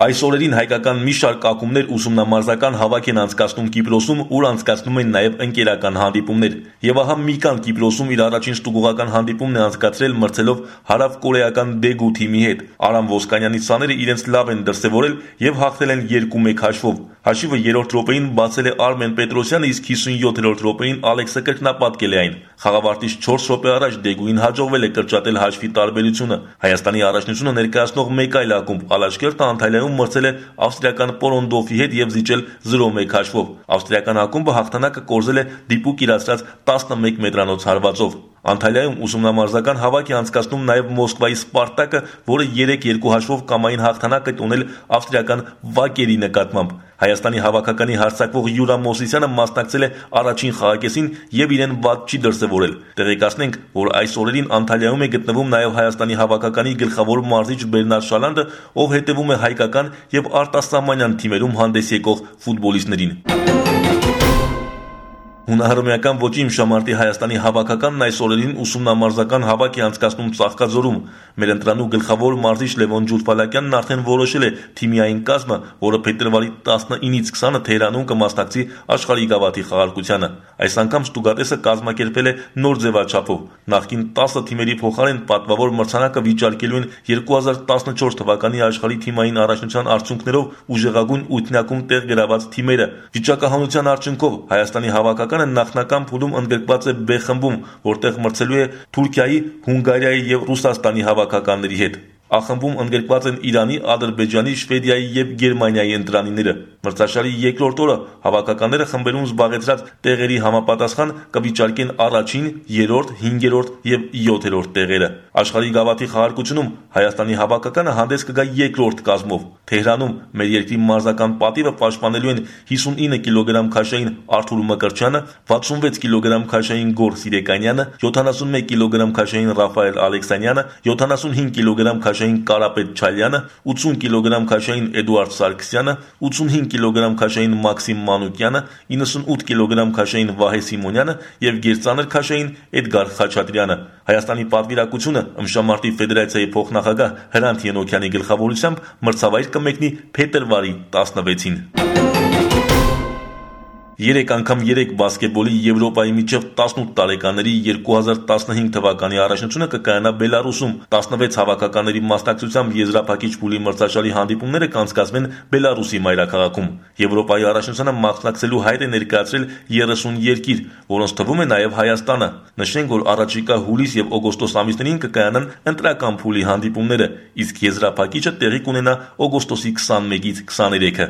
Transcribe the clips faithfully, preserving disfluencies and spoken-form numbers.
Այս օրերին հայկական մի շարք ակումբներ ուսումնամարզական հավաք են անցկացնում Կիպրոսում, ուր անցկացնում են նաև ընկերական հանդիպումներ։ Եվ ահա Միկան Կիպրոսում իր առաջին ստուգողական հանդիպումն է անցկացրել մրցելով հարավկորեական Դեգու թիմի հետ։ Արամ Ոսկանյանի սաները իրենց լավ են դրսևորել եւ հաղթել են երկու մեկ հաշվով։ Հաշիվը երրորդ րոպեին բացել է Արմեն Պետրոսյանը, իսկ հիսունյոթերորդ րոպեին Ալեքսը կրկնապատկել է այն։ Խաղավարտից չորս րոպե առաջ Դեգուին հաջողվել է կրճատել հաշվի տարբերությունը։ Հայաստանի առաջնությունը ներկայացնող մեկ այլ ակումբ Ալաշկերտը Անտալիայում մրցել է ավստրիական Պորոնդոֆի հետ եւ զիջել զրո մեկ հաշվով։ Ավստրիական ակումբը հաղթանակը կորզել է դիպուկ իրացրած տասնմեկ մետրանոց հարվածով։ Անտալիայում ուսումնամարզական հավաք է անցկացնում նաև Մոսկվայի Սպարտակը, որը երեք երկու հաշվով կամային հաղթանակ է տոնել ավստրիական Վակերի նկատմամբ։ Հայաստանի հավաքականի հարձակվող Յուրա Մոսիսյանը մասնակցել է առաջին խաղակեսին եւ իրեն վատ չի դրսևորել։ Տեղեկացնենք, որ այս օրերին Անտալիայում է գտնվում նաև Հայաստանի հավաքականի գլխավոր մարզիչ Բերնարդ Շալանդը, ով հետևում է հայկական եւ արտասահմանյան թիմերում հանդես եկող ֆուտբոլիստներին։ Հունահռոմեական ոճի իմշամարտի Հայաստանի հավաքականն այս օրերին ուսումնամարզական հավաք է անցկացնում Ծաղկաձորում։ Մեր ընտրանու գլխավոր մարզիչ Լևոն Ջուլֆալակյանն արդեն որոշել է թիմի այն կազմը, որը փետրվարի տասնինից քսանը Թեհրանում կմասնակցի աշխարհի գավաթի խաղարկությանը։ Այս անգամ ստուգատեսը կազմակերպել է նոր ձևաչափով։ Նախկին տասը թիմերի փոխարեն պատվավոր մրցանակը վիճարկելու են երկու հազար տասնչորս թվականի աշխարհի թիմային առաջնության արդյունքներով ուժեղագույն ութնյակում տեղ գրաված թիմերը։ Վիճակահանության արդյունքով Հայաստանի հավաքականը նախնական փուլում ընդգրկված է B խմբում, որտեղ մրցելու է Թուրքիայի, Հունգարիայի եւ Ռուսաստանի հավաքականների հետ։ A խմբում ընդգրկված են Իրանի, Ադրբեջանի, Շվեդիայի եւ Գերմանիայի ընտրանիները։ Մրցաշարի երկրորդ օրը հավաքականները խմբերում զբաղեցրած տեղերի համապատասխան կվիճարկեն առաջին, երրորդ, հինգերորդ եւ յոթերորդ տեղերը։ Աշխարհի գավաթի խաղարկությունում Հայաստանի հավաքականը հանդես կգա երկրորդ կազմով։ Թեհրանում մեր երկրի մարզական պատիվը պաշտպանելու են հիսունինը կիլոգրամ քաշային Արթուր Մկրտչյանը, վաթսունվեց կիլոգրամ քաշային Գոր Սիրեկանյանը, յոթանասունմեկ կիլոգրամ քաշային Ռաֆայել Ալեքսանյանը, յոթանասունհինգ կիլոգրամ քաշային Կարապետ Չալյանը, ութսուն կիլոգրամ քաշային Էդուարդ Սարգսյանը, ութսունհինգ կիլոգրամ քաշային Մաքսիմ Մանուկյանը, իննսունութ կիլոգրամ քաշային Վահե Սիմոնյանը եւ գերծանր քաշային Էդգար Խաչատրյանը։ Հայաստանի պատվիրակությունը ըմբշամարտի ֆեդերացիայի փոխնախագահ Հրանտ Ենոքյանի գլխավորությամբ մրցավայր կմեկնի փետրվարի տասնվեցին։ Երեք անգամ երեք բասկետբոլի Եվրոպայի միջև տասնութ տարեկաների երկու հազար տասնհինգ թվականի առաջնությունը կկայանա Բելարուսում։ տասնվեց հավաքականների մասնակցությամբ եզրափակիչ փուլի մրցաշարի հանդիպումները կանցկացվեն Բելարուսի մայրաքաղաքում։ Եվրոպայի առաջնությանը մասնակցելու հայտ է ներկայացրել երեսուն երկիր, որոնց թվում է նաև Հայաստանը։ Նշենք, որ առաջիկա հուլիս եւ օգոստոս ամիսներին կկայանան ընտրական փուլի հանդիպումները, իսկ եզրափակիչը տեղի կունենա օգոստոսի քսանմեկից քսաներեքը։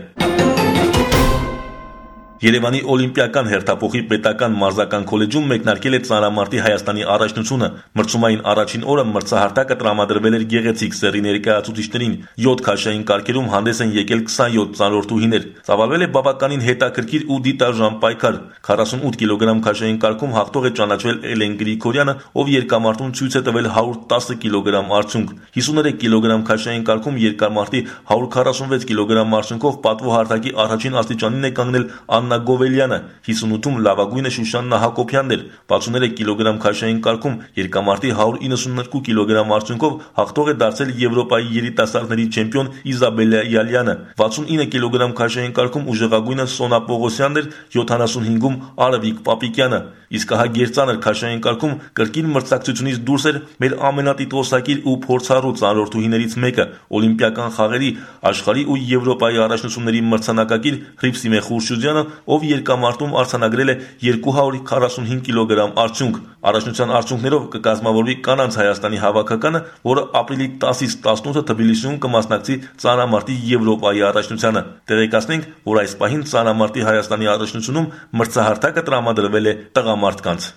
Երևանի Օլիմպիական հերթափոխի պետական մարզական քոլեջում մեկնարկել է ծանրամարտի Հայաստանի առաջնությունը։ Մրցումային առաջին օրը մրցահարթակը տրամադրվել էր գեղեցիկ սեռի ներկայացուցիչներին։ յոթ քաշային կարգերում հանդես են եկել քսանյոթ ծանրորդուհիներ։ Ծավալվել է բավականին հետաքրքիր ու դիտարժան պայքար։ քառասունութ կիլոգրամ քաշային կարգում հաղթող է ճանաչվել Էլեն Գրիգորյանը, ով երկամարտում ցույց է տվել հարյուր տասը կիլոգրամ արդյունք։ հիսուներեք կիլոգրամ քաշային կարգում երկամարտի հարյուր քառասունվեց կիլոգրամ արդյունքով պատվո հարթակի առաջին աստիճանին է կանգնել Աննա Գովելյանը, հիսունութում լավագույնը Շուշաննա Հակոբյանն էր, վաթսուններեք կիլոգրամ քաշային կարգում երկամարտի հարյուր իննսունյոթ կիլոգրամ արդյունքով հաղթող է դարձել Եվրոպայի երիտասարդների չեմպիոն Իզաբելլա Յալյանը, վաթսունինը կիլոգրամ քաշային կարգում ուժեղագույնը Սոնա Պողոսյանն էր, յոթանասունհինգում Արևիկ Պապիկյանը, իսկ ահա գերծանր քաշային կարգում կրկին մրցակցությունից դուրս էր մեր ամենատիտղոսակիր ու փորձառու ծանրորդուհիներից մեկը, Օլիմպիական խաղերի, աշխարհի ու Եվրոպայի առաջնությունների մրցանակակիր Հրիփսիմե Խուրշուդյանը, ով երկամարտում արձանագրել է երկու հարյուր քառասունհինգ կիլոգրամ արդյունք։ Առաջնության արդյունքներով կկազմավորվի կանանց Հայաստանի հավաքականը, որը ապրիլի տասից տասնութը Թբիլիսիում կմասնակցի ծանրամարտի Եվրոպայի առաջնությանը։ Տեղեկացնենք, որ այս պահին ծանրամարտի Հայաստանի առաջնությունում մրցահարթակը տրամադրվել է տղամարդկանց։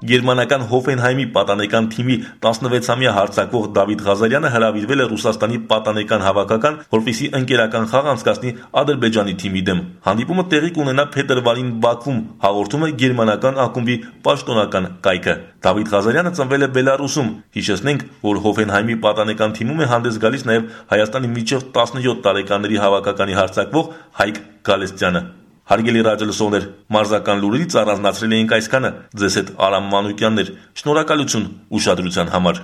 Գերմանական Հոֆենհայմի պատանեկան թիմի տասնվեցամյա հարձակվող Դավիթ Ղազարյանը հրավիրվել է Ռուսաստանի պատանեկան հավաքական, որպեսզի ընկերական խաղ անցկացնի Ադրբեջանի թիմի դեմ։ Հանդիպումը տեղի կունենա փետրվարին Բաքվում, հաղորդում է գերմանական ակումբի պաշտոնական կայքը։ Դավիթ Ղազարյանը ծնվել է Բելարուսում։ Հիշեցնենք, որ Հոֆենհայմի պատանեկան թիմում է հանդես գալիս նաև Հայաստանի միջև տասնյոթ տարեկաների հավաքականի հարձակվող Հայկ Գալստյանը։ Հարգելի ռադիոլսողներ, մարզական լուրերից առանձնացրել էինք այսքանը։ Ձեզ հետ Արամ Մանուկյանն էր։ Շնորհակալություն ուշադրության համար։